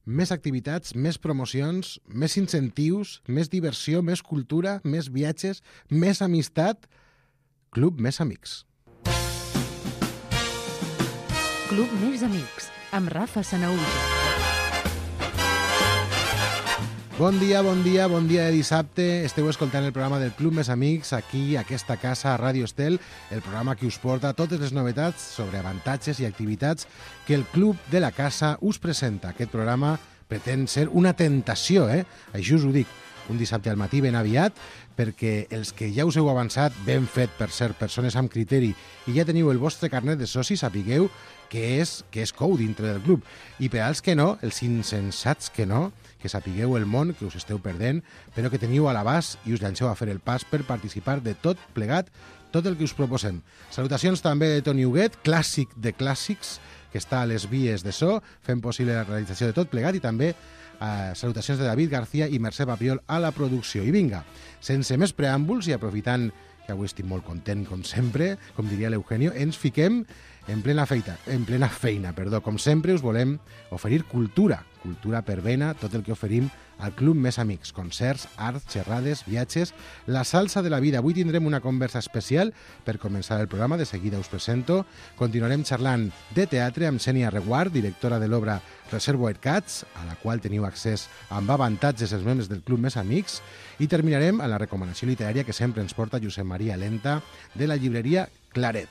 més activitats, més promocions, més incentius, més diversió, més cultura, més viatges, més amistat. Club Més Amics. Club Més Amics, amb Rafa Sanaúja. Bon dia de dissabte. Esteu escoltant el programa del Club Més Amics aquí, a aquesta casa, a Ràdio Estel, el programa que us porta totes les novetats sobre avantatges i activitats que el Club de la Casa us presenta. Aquest programa pretén ser una tentació, Això us ho dic, un dissabte al matí ben aviat, perquè els que ja us heu avançat, ben fet per ser persones amb criteri, i ja teniu el vostre carnet de soci, sapigueu que és cou dintre del club. I per als que no, els insensats que no, que sapigueu el món que us esteu perdent, però que teniu a l'abast i us llanceu a fer el pas per participar de tot plegat, tot el que us proposem. Salutacions també de Toni Huguet, clàssic de clàssics, que està a les vies de so, fent possible la realització de tot plegat, i també salutacions de David García i Mercè Papiol a la producció. I vinga, sense més preàmbuls i aprofitant que avui estic molt content, com sempre, com diria l'Eugenio, ens fiquem en plena feina. Com sempre, us volem oferir cultura per vena, tot el que oferim al Club Més Amics, concerts, arts, xerrades, viatges, la salsa de la vida. Avui tindrem una conversa especial per començar el programa, de seguida us presento. Continuarem xerrant de teatre amb Xènia Reguard, directora de l'obra Reservoir Cats, a la qual teniu accés amb avantatges els membres del Club Més Amics, i terminarem amb la recomanació literària que sempre ens porta Josep Maria Lenta, de la llibreria Claret.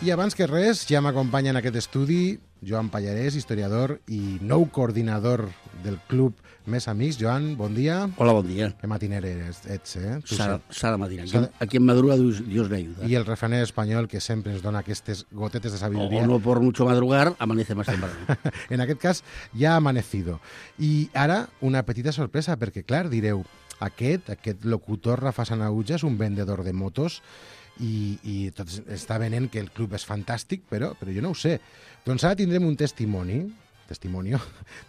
I abans que res, ja m'acompanya en aquest estudi Joan Pallarès, historiador i nou coordinador del Club Més Amics. Joan, bon dia. Hola, bon dia. Que matiner ets, S'ha de matinar. Aquí en madruga Dios me ayuda. I el refraner espanyol que sempre ens dona aquestes gotetes de sabiduría. O no por mucho madrugar, amanece más temprano. En aquest cas, ja ha amanecido. I ara, una petita sorpresa, perquè, clar, direu, aquest locutor Rafa Sanaúja és un vendedor de motos i tot està venent que el club és fantàstic, però jo no ho sé. Doncs ara tindrem un testimonio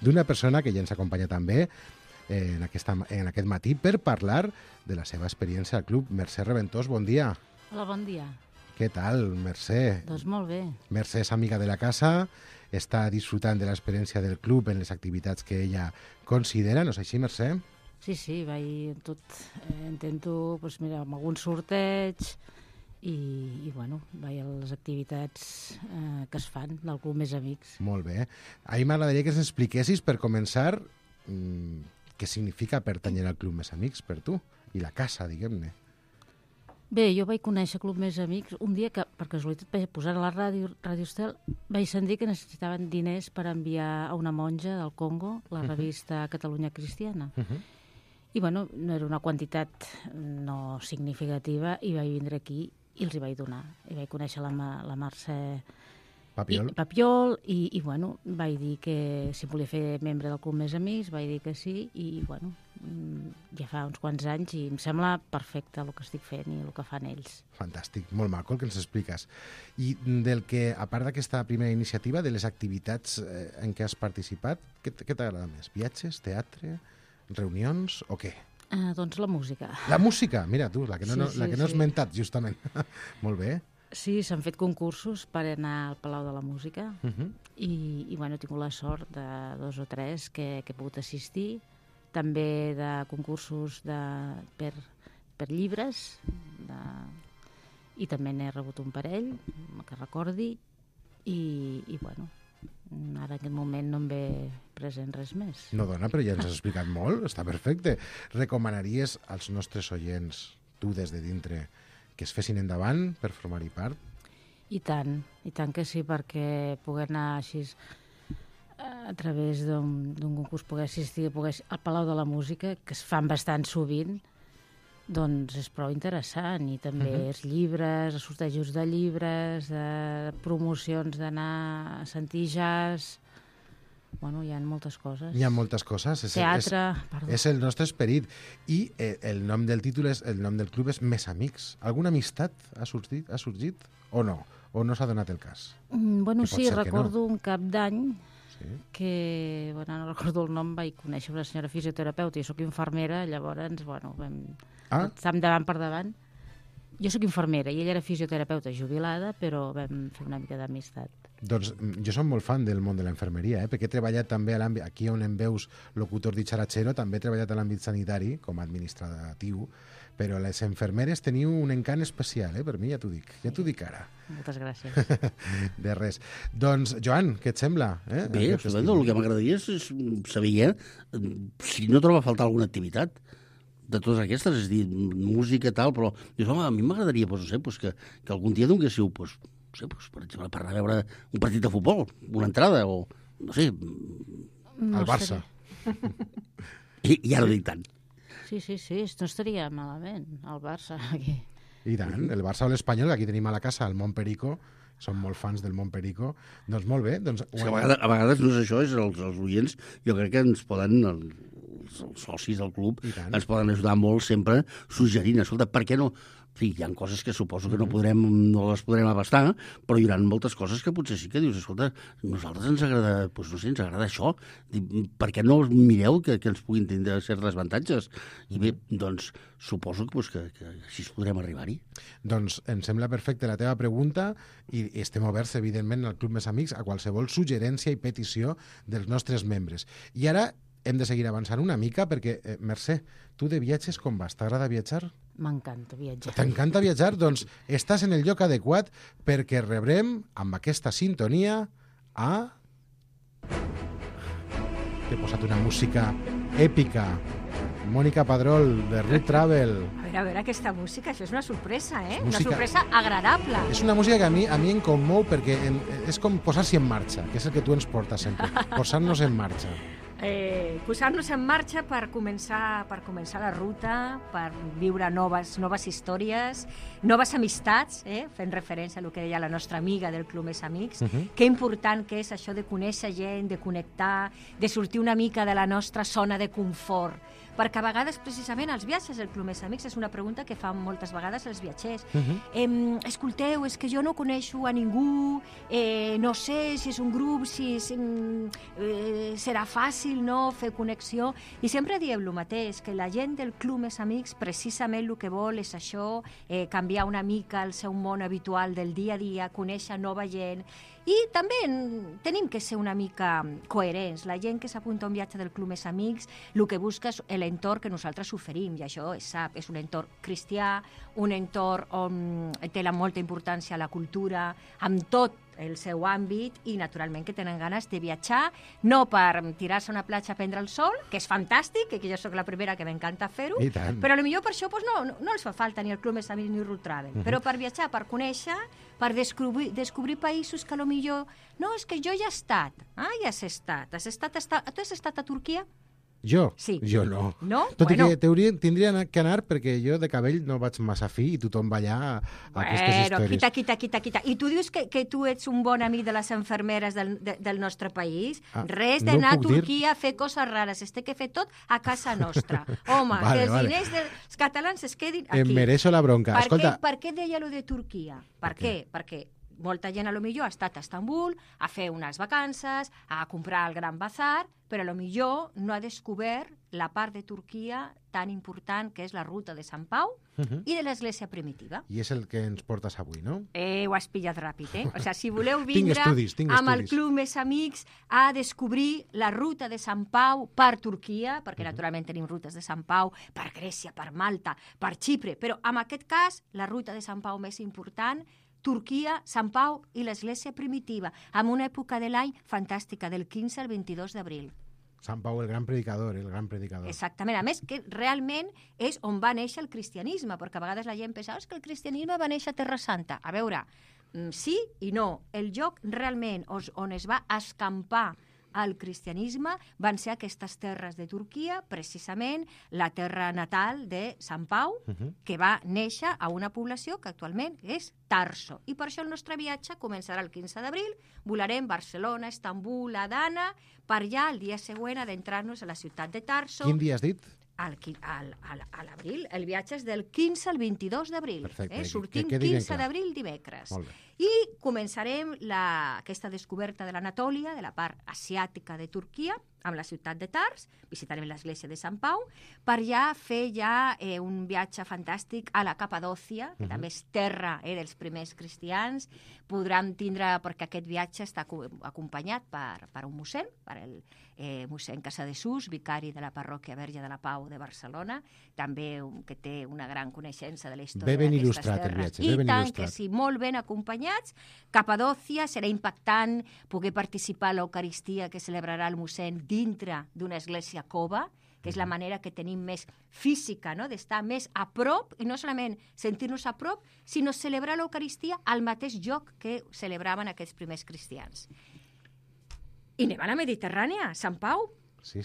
d'una persona que ja ens acompanya també en aquest matí per parlar de la seva experiència al club. Mercè Reventós, bon dia. Hola, bon dia. Què tal, Mercè? Doncs molt bé. Mercè és amiga de la casa, està disfrutant de l'experiència del club en les activitats que ella considera, no és així, Mercè? Sí, vaig tot, intento, mira, amb algun sorteig i vaig a les activitats que es fan del Club Més Amics. Molt bé. A mi m'agradaria que ens expliquessis, per començar, què significa pertànyer al Club Més Amics per tu, i la casa, diguem-ne. Bé, jo vaig conèixer Club Més Amics un dia que, per casualitat, vaig posar a la Ràdio Estel, vaig sentir que necessitaven diners per enviar a una monja del Congo la revista Catalunya Cristiana. I, no era una quantitat no significativa, i vaig vindre aquí i els hi vaig donar. I vaig conèixer la Mercè Papiol i vaig dir que si volia fer membre del Club Més Amics, vaig dir que sí, i ja fa uns quants anys, i em sembla perfecte el que estic fent i el que fan ells. Fantàstic, molt maco el que ens expliques. I del que, a part d'aquesta primera iniciativa, de les activitats en què has participat, què t'agrada més? Viatges, teatre, reunions o què? Doncs la música. La música? Mira tu, la que no has mentat, justament. Molt bé. Sí, s'han fet concursos per anar al Palau de la Música i he tingut la sort de 2 o 3 que he pogut assistir. També de concursos per llibres i també n'he rebut un parell, que recordi, i ara en aquest moment no em ve present res més. No, dona, però ja ens has explicat molt, està perfecte. Recomanaries als nostres oients, tu des de dintre, que es fessin endavant per formar-hi part? I tant que sí, perquè poder anar així a través d'un concurs, poder assistir al Palau de la Música, que es fan bastant sovint, doncs és prou interessant. I també els llibres, els sortejos de llibres, de promocions d'anar a sentir jazz. Hi ha moltes coses. Hi ha moltes coses. Teatre, perdó. És el nostre esperit. I el nom del títol, el nom del club és Més Amics. Alguna amistat ha sorgit o no? O no s'ha donat el cas? Sí, recordo un cap d'any que, no recordo el nom, vaig conèixer una senyora fisioterapeuta, jo soc infermera, llavors, vam estar davant per davant. Jo soc infermera i ella era fisioterapeuta jubilada, però vam fer una mica d'amistat. Doncs jo som molt fan del món de la infermeria, perquè he treballat també a l'àmbit, aquí on em veus locutor dicharachero, també he treballat a l'àmbit sanitari com a administratiu, però les infermeres teniu un encant especial, per mi, ja t'ho dic ara. Moltes gràcies. De res. Doncs, Joan, què et sembla? Bé, el que m'agradaria és saber si no troba a faltar alguna activitat de totes aquestes, és a dir, música, tal, però dius, home, a mi m'agradaria, no sé, que algun dia donguéssiu, per exemple, per anar a veure un partit de futbol, una entrada, o, no sé... El Barça. I ara dic tant. Sí, no estaria malament, el Barça, aquí. I tant, el Barça o l'Espanyol, que aquí tenim a la casa, el Montperico, som molt fans del Montperico, doncs molt bé. Doncs... A vegades no és això, és els oients, jo crec que ens poden... els socis del club ens poden ajudar molt sempre suggerint, escolta, per què no? En fi, hi ha coses que suposo que no les podrem abastar, però hi haurà moltes coses que potser sí que dius, escolta, a nosaltres ens agrada, doncs no sé, ens agrada això, per què no mireu que ens puguin tindre certs avantatges? I bé, doncs, suposo que així podrem arribar-hi. Doncs em sembla perfecte la teva pregunta i estem oberts, evidentment, al Club Més Amics a qualsevol suggerència i petició dels nostres membres. I ara hem de seguir avançant una mica perquè, Mercè, tu de viatges com vas? T'agrada viatjar? M'encanta viatjar. T'encanta viatjar? Doncs estàs en el lloc adequat perquè rebrem amb aquesta sintonia a... T'he posat una música èpica. Mònica Padrol, de Root Travel. A veure, aquesta música, això és una sorpresa, eh? Una sorpresa agradable. És una música que a mi em commou perquè és com posar-s'hi en marxa, que és el que tu ens portes sempre, posar-nos en marxa. Posar-nos en marxa per començar la ruta, per viure noves històries, noves amistats, fent referència a el que deia la nostra amiga del Club Més Amics. Que important que és això de conèixer gent, de connectar, de sortir una mica de la nostra zona de confort. Perquè a vegades, precisament, els viatges del Club Més Amics és una pregunta que fan moltes vegades els viatgers. Escolteu, és que jo no coneixo a ningú, no sé si és un grup, si serà fàcil, no?, fer connexió. I sempre diem el mateix, que la gent del Club Més Amics precisament el que vol és això, canviar una mica el seu món habitual del dia a dia, conèixer nova gent. I també tenim que ser una mica coherents. La gent que s'apunta a un viatge del Club Més Amics el que busca és l'entorn que nosaltres oferim, i això és un entorn cristià, un entorn on té molta importància la cultura, amb tot el seu àmbit, i naturalment que tenen ganes de viatjar, no per tirar-se a una platja a prendre el sol, que és fantàstic, que jo sóc la primera que m'encanta fer-ho, però potser per això no els fa falta ni el Club Més Amics ni Root Travel, però per viatjar, per conèixer, per descobrir països que potser no, és que jo ja he estat. Ja has estat. Tu has estat a Turquia? Jo? Sí. Jo no. No? Tot i que tindria que anar perquè jo de cabell no vaig massa fi i tothom va allà a aquestes històries. Quita. I tu dius que tu ets un bon amic de les infermeres del nostre país? Res d'anar a Turquia a fer coses rares. Es té que fer tot a casa nostra. Home, que els diners dels catalans es quedin aquí. Em mereixo la bronca. Per què deia lo de Turquia? Per què? Perquè molta gent potser ha estat a Istanbul a fer unes vacances, a comprar el Gran Bazar, però potser no ha descobert la part de Turquia tan important que és la ruta de Sant Pau i de l'Església Primitiva. I és el que ens portes avui, no? Ho has pillat ràpid, O sigui, si voleu vindre amb el Club Més Amics a descobrir la ruta de Sant Pau per Turquia, perquè naturalment tenim rutes de Sant Pau per Grècia, per Malta, per Xipre, però en aquest cas la ruta de Sant Pau més important, Turquia, Sant Pau i l'Església Primitiva, amb una època de l'any fantàstica, del 15 al 22 d'abril. Sant Pau, el gran predicador. Exactament. A més, que realment és on va néixer el cristianisme, perquè a vegades la gent pensa que el cristianisme va néixer a Terra Santa. A veure, sí i no. El lloc realment on es va escampar el cristianisme van ser aquestes terres de Turquia, precisament la terra natal de Sant Pau, que va néixer a una població que actualment és Tarso. I per això el nostre viatge començarà el 15 d'abril, volarem Barcelona, Istanbul, Adana, per allà el dia següent adentrar-nos a la ciutat de Tarso. Quin dia has dit? a l'abril. El viatge és del 15 al 22 d'abril. Sortim 15 d'abril dimecres. I començarem aquesta descoberta de l'Anatòlia, de la part asiàtica de Turquia, amb la ciutat de Tars, visitarem l'església de Sant Pau, per ja fer un viatge fantàstic a la Capadòcia, que també és terra dels primers cristians. Podrem tindre, perquè aquest viatge està acompanyat per un mossèn, per el mossèn Casadesús, vicari de la parròquia Verge de la Pau de Barcelona, també que té una gran coneixença de la història d'aquestes terres. I tant que sí, molt ben acompanyats. Capadòcia, serà impactant poder participar a l'Eucaristia que celebrarà el mossèn dintre d'una església cova, que és la manera que tenim més física, no?, d'estar més a prop, i no solament sentir-nos a prop, sinó celebrar l'Eucaristia al mateix lloc que celebraven aquests primers cristians. I anem a la Mediterrània, Sant Pau,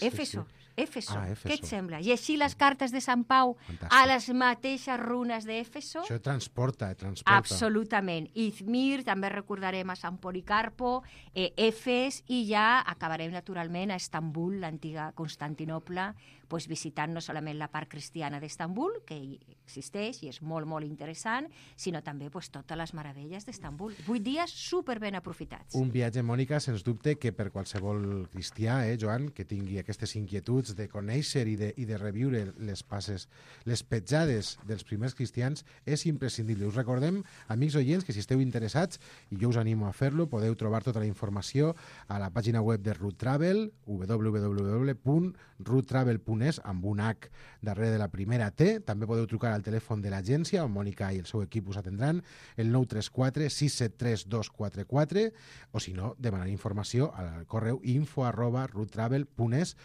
Éfeso. Què et sembla? Llegir les cartes de Sant Pau a les mateixes runes d'Éfeso? Això transporta. Absolutament. Izmir, també recordarem a Sant Policarpo, Efes, i ja acabarem naturalment a Estambul, l'antiga Constantinoble, visitant no solament la part cristiana d'Estambul, que existeix i és molt, molt interessant, sinó també totes les meravelles d'Estambul. 8 dies superben aprofitats. Un viatge, Mònica, sens dubte, que per qualsevol cristià, Joan, que tingui aquestes inquietuds de conèixer i de reviure les passes, les petjades dels primers cristians, és imprescindible. Us recordem, amics oients, que si esteu interessats, i jo us animo a fer-lo, podeu trobar tota la informació a la pàgina web de Root Travel, www.roottravel.es, amb un H darrere de la primera T. També podeu trucar al telèfon de l'agència, on Mònica i el seu equip us atendran, el 934 673 244, o si no, demanar informació al correu info@roottravel.es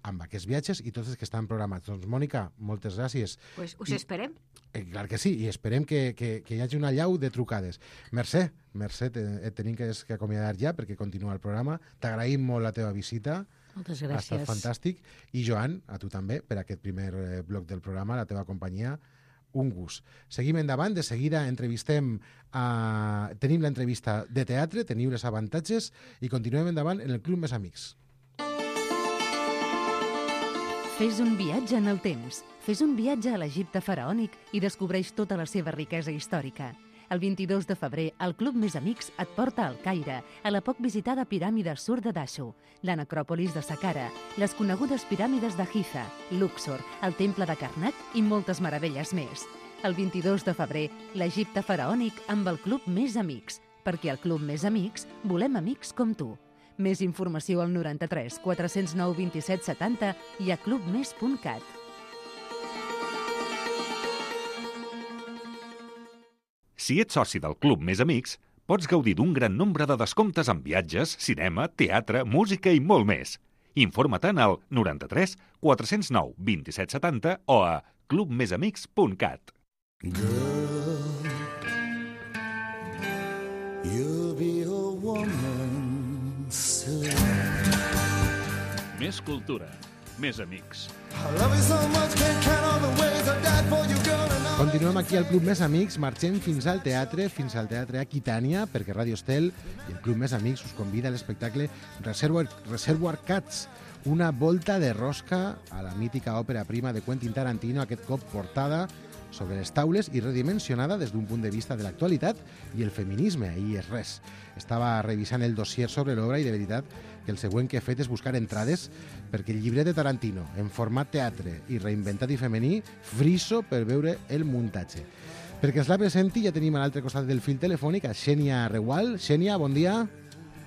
amb aquests viatges i tots els que estan programats. Doncs, Mònica, moltes gràcies. Us esperem. Clar que sí, i esperem que hi hagi una llau de trucades. Mercè, et tenim que acomiadar ja perquè continua el programa. T'agraïm molt la teva visita. Moltes gràcies. Ha estat fantàstic. I, Joan, a tu també, per aquest primer bloc del programa, la teva companyia, un gust. Seguim endavant, de seguida tenim l'entrevista de teatre, teniu els avantatges, i continuem endavant en el Club Més Amics. Fes un viatge en el temps. Fes un viatge a l'Egipte faraònic i descobreix tota la seva riquesa històrica. El 22 de febrer, el Club Més Amics et porta al Caire, a la poc visitada piràmide Sur de Dashu, la necròpolis de Saqqara, les conegudes piràmides de Giza, Luxor, el temple de Karnak i moltes meravelles més. El 22 de febrer, l'Egipte faraònic amb el Club Més Amics, perquè al Club Més Amics volem amics com tu. Més informació al 93 409 27 70 i a clubmes.cat. Si ets soci del Club Més Amics, pots gaudir d'un gran nombre de descomptes en viatges, cinema, teatre, música i molt més. Informa-te'n al 93 409 27 70 o a clubmesamics.cat. Girl, you'll be a woman soon. Més cultura, més amics. Continuem aquí al Club Més Amics, marxem fins al teatre Aquitània, perquè Ràdio Estel i el Club Més Amics us convida a l'espectacle Reservoir Cats, una volta de rosca a la mítica òpera prima de Quentin Tarantino, aquest cop portada sobre les taules i redimensionada des d'un punt de vista de l'actualitat i el feminisme. Ahir és res. Estava revisant el dossier sobre l'obra i de veritat que el següent que he fet és buscar entrades perquè el llibret de Tarantino, en format teatre i reinventat i femení, friso per veure el muntatge. Perquè ens la presenti ja tenim a l'altre costat del fil telefònic a Xènia Regual. Xènia, bon dia.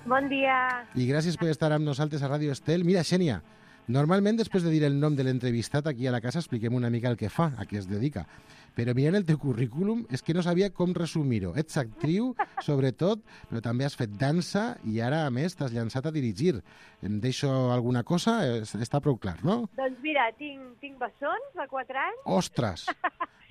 Bon dia. I gràcies per estar amb nosaltres a Ràdio Estel. Mira, Xènia, normalment després de dir el nom de l'entrevistat aquí a la casa expliquem una mica el que fa, a què es dedica. Però mirant el teu currículum és que no sabia com resumir-ho. Ets actriu, sobretot, però també has fet dansa i ara, a més, t'has llançat a dirigir. Em deixo alguna cosa? Està prou clar, no? Doncs mira, tinc bessons de 4 anys. Ostres!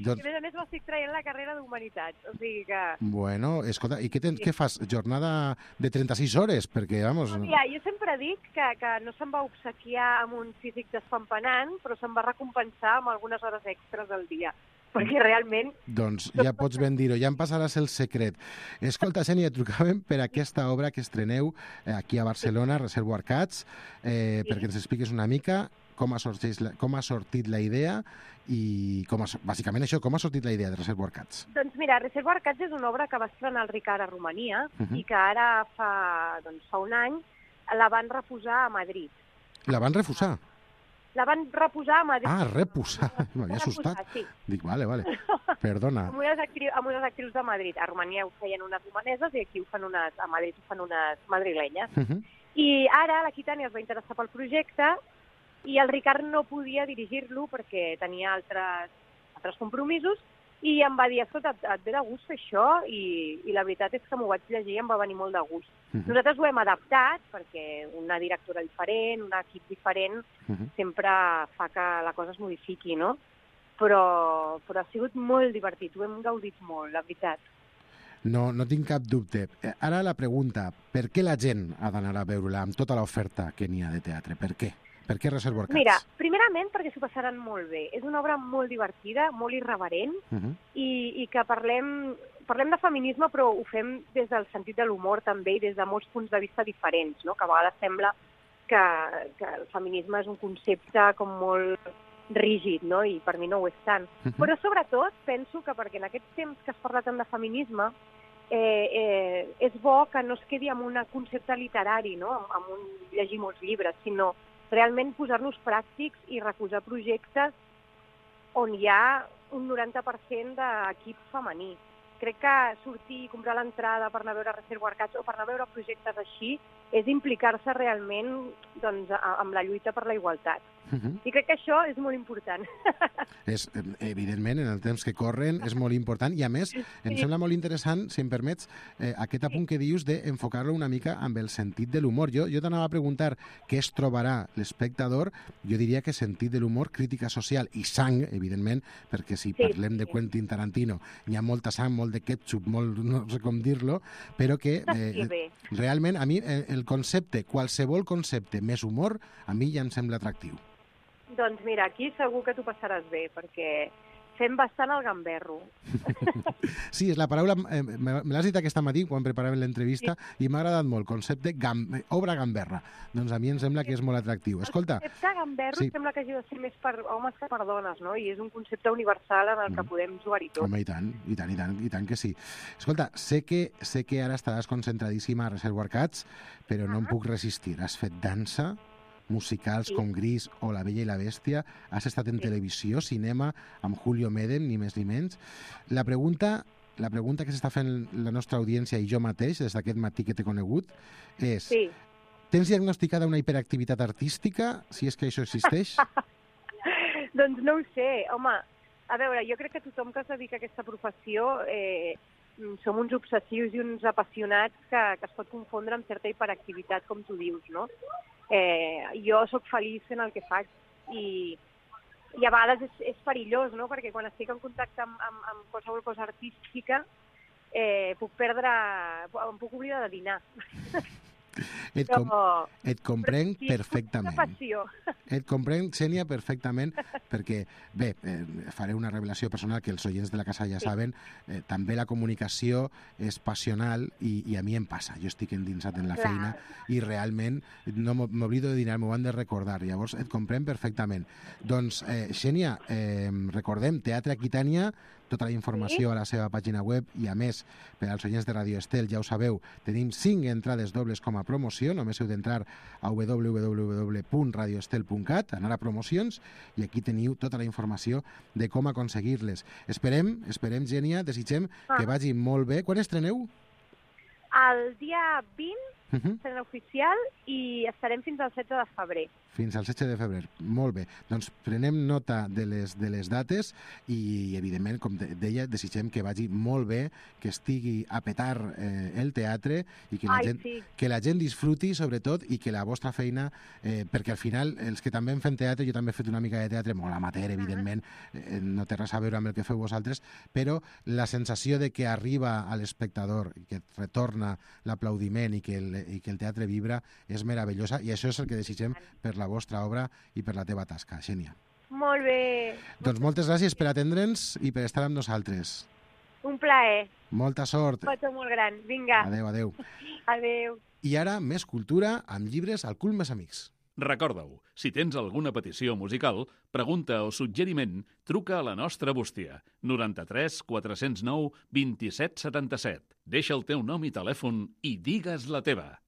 I a més m'estic traient la carrera d'Humanitats, o sigui que... Bueno, escolta, i què fas? Jornada de 36 hores? Perquè, vamos... Mira, jo sempre dic que no se'm va obsequiar amb un físic despampanant, però se'm va recompensar amb algunes hores extres al dia. Perquè realment... Doncs ja pots ben dir-ho, ja em passaràs el secret. Escolta, Xènia, trucàvem per aquesta obra que estreneu aquí a Barcelona, Reservoir Cats, perquè ens expliques una mica com ha sortit la idea i bàsicament això, com ha sortit la idea de Reservoir Cats? Doncs mira, Reservoir Cats és una obra que va estrenar el Ricard a Romania i que ara fa un any la van reposar a Madrid. La van refusar? La van reposar a Madrid. Ah, reposar. M'havia assustat. Sí. Dic, vale. Perdona. Amb unes actrius de Madrid. A Romania ho feien unes romaneses i aquí a Madrid ho fan unes madrilenyes. I ara la Quitània es va interessar pel projecte i el Ricard no podia dirigir-lo perquè tenia altres compromisos i em va dir, escolta, et ve de gust fer això? I la veritat és que m'ho vaig llegir i em va venir molt de gust. Nosaltres ho hem adaptat perquè una directora diferent, un equip diferent, sempre fa que la cosa es modifiqui, no? Però ha sigut molt divertit, ho hem gaudit molt, la veritat. No tinc cap dubte. Ara la pregunta, per què la gent ha d'anar a veure-la amb tota l'oferta que n'hi ha de teatre? Per què? Per què Reservoir Cats? Mira, primerament perquè s'ho passaran molt bé. És una obra molt divertida, molt irreverent, i que parlem de feminisme, però ho fem des del sentit de l'humor també i des de molts punts de vista diferents, no? Que a vegades sembla que el feminisme és un concepte com molt rígid, no? I per mi no ho és tant. Però sobretot penso que perquè en aquests temps que es parla tant de feminisme és bo que no es quedi amb un concepte literari, no? Amb llegir molts llibres, sinó realment posar-nos pràctics i recolzar projectes on hi ha un 90% d'equip femení. Crec que sortir i comprar l'entrada per anar a veure Reservoir Cats o per anar a veure projectes així és implicar-se realment amb la lluita per la igualtat. I crec que això és molt important. Evidentment, en el temps que corren, és molt important. I, a més, em sembla molt interessant, si em permets, aquest apunt que dius d'enfocar-lo una mica amb el sentit de l'humor. Jo t'anava a preguntar què es trobarà l'espectador. Jo diria que sentit de l'humor, crítica social i sang, evidentment, perquè si parlem de Quentin Tarantino, hi ha molta sang, molt de ketchup, molt, no sé com dir-lo, però que realment a mi el concepte, qualsevol concepte més humor, a mi ja em sembla atractiu. Doncs mira, aquí segur que t'ho passaràs bé, perquè fem bastant el gamberro. Sí, és la paraula... me l'has dit aquest matí quan preparàvem l'entrevista i m'ha agradat molt, concepte obra gamberra. Doncs a mi em sembla que és molt atractiu. Escolta... El concepte gamberro sembla que hagi de ser més per homes que per dones, no? I és un concepte universal en el que podem jugar-hi tot. Home, i tant que sí. Escolta, sé que ara estaràs concentradíssima a Reservoir Cats, però no em puc resistir. Has fet dansa, musicals com Gris o La Bella i la Bèstia, has estat en televisió, cinema, amb Julio Medem, ni més ni menys. La pregunta que s'està fent la nostra audiència i jo mateix, des d'aquest matí que t'he conegut, és... Tens diagnosticada una hiperactivitat artística, si és que això existeix? Doncs no ho sé. Home, a veure, jo crec que tothom que es dedica a aquesta professió som uns obsessius i uns apassionats que es pot confondre amb certa hiperactivitat, com tu dius, no? Jo sóc feliç fent el que faig i a vegades és perillós, no? Perquè quan estic en contacte amb qualsevol cosa artística em puc oblidar de dinar. Et comprenc perfectament. Et comprenc, Xènia, perfectament, perquè, bé, faré una revelació personal que els oients de la casa ja saben, també la comunicació és passional i a mi em passa. Jo estic endinsat en la feina i realment no m'oblido de dinar, m'ho han de recordar. Llavors, et comprenc perfectament. Doncs, Xènia, recordem, Teatre Aquitània, tota la informació a la seva pàgina web i, a més, per als oients de Radio Estel, ja ho sabeu, tenim 5 entrades dobles com a promoció, només heu d'entrar a www.radioestel.cat, anar a promocions, i aquí teniu tota la informació de com aconseguir-les. Esperem, Xènia, desitgem que vagi molt bé. Quan estreneu? El dia 20, estrena oficial, i estarem fins al 16 de febrer. Fins al 16 de febrer. Molt bé. Doncs prenem nota de les dates i, evidentment, com deia, desitgem que vagi molt bé, que estigui a petar el teatre i que la gent disfruti, sobretot, i que la vostra feina, perquè al final, els que també fem teatre, jo també he fet una mica de teatre, molt amateur, evidentment, no té res a veure amb el que feu vosaltres, però la sensació de que arriba a l'espectador i que retorna l'aplaudiment i que el teatre vibra és meravellosa, i això és el que desitgem per la vostra obra i per la teva tasca, Xènia. Molt bé. Doncs moltes gràcies per atendre'ns i per estar amb nosaltres. Un plaer. Molta sort. Un petó molt gran. Vinga. Adéu. Adéu. I ara, més cultura amb llibres al Club Més Amics. Recorda-ho, si tens alguna petició musical, pregunta o suggeriment, truca a la nostra bústia, 93 409 27 77. Deixa el teu nom i telèfon i digues la teva.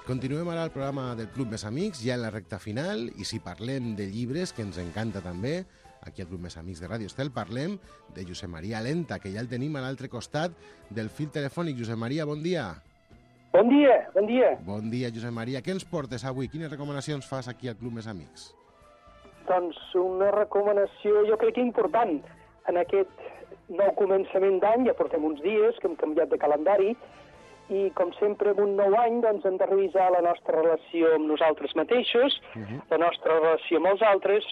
Continuem ara el programa del Club Més Amics, ja en la recta final, i si parlem de llibres, que ens encanta també, aquí al Club Més Amics de Ràdio Estel, parlem de Josep Maria Lenta, que ja el tenim a l'altre costat del fil telefònic. Josep Maria, bon dia. Bon dia, bon dia. Bon dia, Josep Maria. Què ens portes avui? Quines recomanacions fas aquí al Club Més Amics? Doncs una recomanació, jo crec que important, en aquest nou començament d'any, ja portem uns dies que hem canviat de calendari, i com sempre en un nou any doncs, hem de revisar la nostra relació amb nosaltres mateixos, la nostra relació amb els altres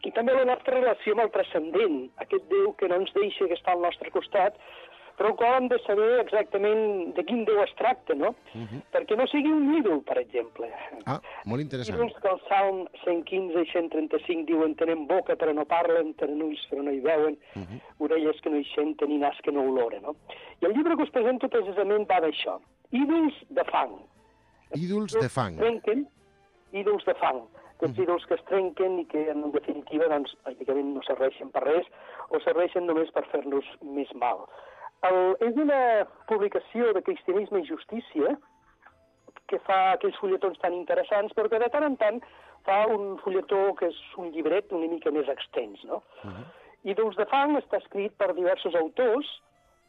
i també la nostra relació amb el transcendent, aquest Déu que no ens deixa, que està al nostre costat, però el qual hem de saber exactament de quin Déu es tracta, no? Perquè no sigui un ídol, per exemple. Ah, molt interessant. Ídols que el Salm 115 i 135 diuen tenen boca però no parlen, tenen ulls però no hi veuen, orelles que no hi senten i nas que no oloren, no? I el llibre que us presento precisament va d'això. Ídols de fang. Ídols de fang. Ídols de fang. Aquests ídols que es trenquen i que, en definitiva, doncs, pràcticament no serveixen per res o serveixen només per fer-nos més mal. És una publicació de Cristianisme i Justícia que fa aquells fulletons tan interessants, però que de tant en tant fa un fulletó que és un llibret una mica més extens, no? Ídols de fang està escrit per diversos autors,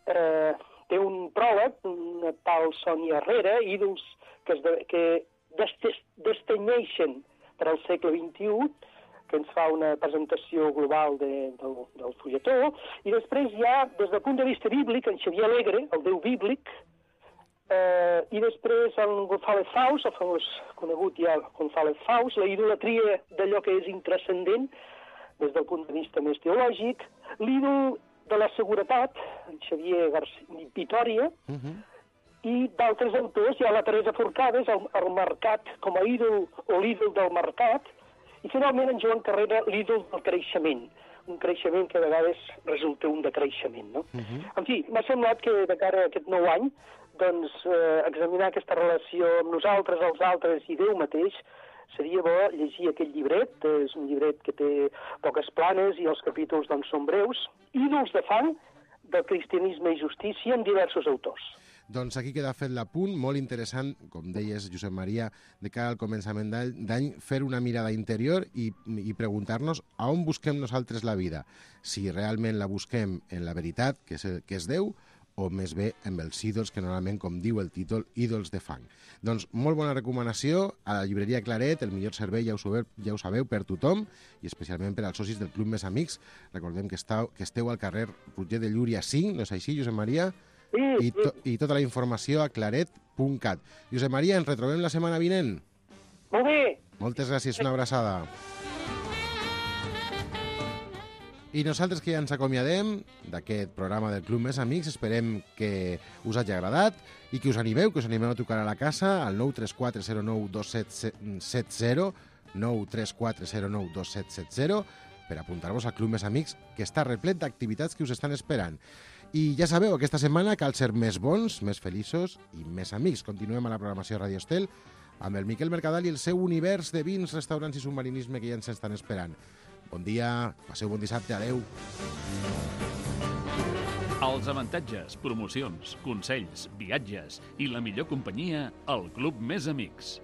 té un pròleg, una tal Sònia Herrera, ídols que destenyeixen per al segle XXI, que ens fa una presentació global del fulletó, i després hi ha, des del punt de vista bíblic, en Xavier Alegre, el Déu bíblic, i després en González Faus, el famós conegut ja González Faus, la idolatria d'allò que és intrascendent, des del punt de vista més teològic, l'ídol de la seguretat, en Xavier Vitòria, i d'altres autors, hi ha la Teresa Forcades, el mercat com a ídol o l'ídol del mercat, i finalment en Joan Carrera, l'ídol del creixement, un creixement que a vegades resulta un decreixement, no? En fi, m'ha semblat que de cara a aquest nou any, doncs, examinar aquesta relació amb nosaltres, els altres i Déu mateix, seria bo llegir aquest llibret, és un llibret que té poques planes i els capítols doncs, són breus, ídols de fang del Cristianisme i Justícia amb diversos autors. Doncs aquí queda fet l'apunt, molt interessant, com deies, Josep Maria, de cara al començament d'any, fer una mirada interior i preguntar-nos a on busquem nosaltres la vida. Si realment la busquem en la veritat, que és Déu, o més bé amb els ídols, que normalment, com diu el títol, ídols de fang. Doncs molt bona recomanació a la llibreria Claret, el millor servei, ja ho sabeu, per tothom, i especialment per als socis del Club Més Amics. Recordem que esteu al carrer Roger de Llúria 5, no és així, Josep Maria? Sí. I tota la informació a claret.cat. Josep Maria, ens retrobem la setmana vinent? Molt bé. Moltes gràcies, una abraçada. I nosaltres que ja ens acomiadem d'aquest programa del Club Més Amics, esperem que us hagi agradat i que us animeu a trucar a la casa al 934092770, 934092770, per apuntar-vos al Club Més Amics, que està replet d'activitats que us estan esperant. I ja sabeu, aquesta setmana cal ser més bons, més feliços i més amics. Continuem a la programació Radio Estel amb el Miquel Mercadal i el seu univers de vins, restaurants i submarinisme que ja ens estan esperant. Bon dia, passeu bon dissabte, adeu. Els avantatges, promocions, consells, viatges i la millor companyia al Club Més Amics.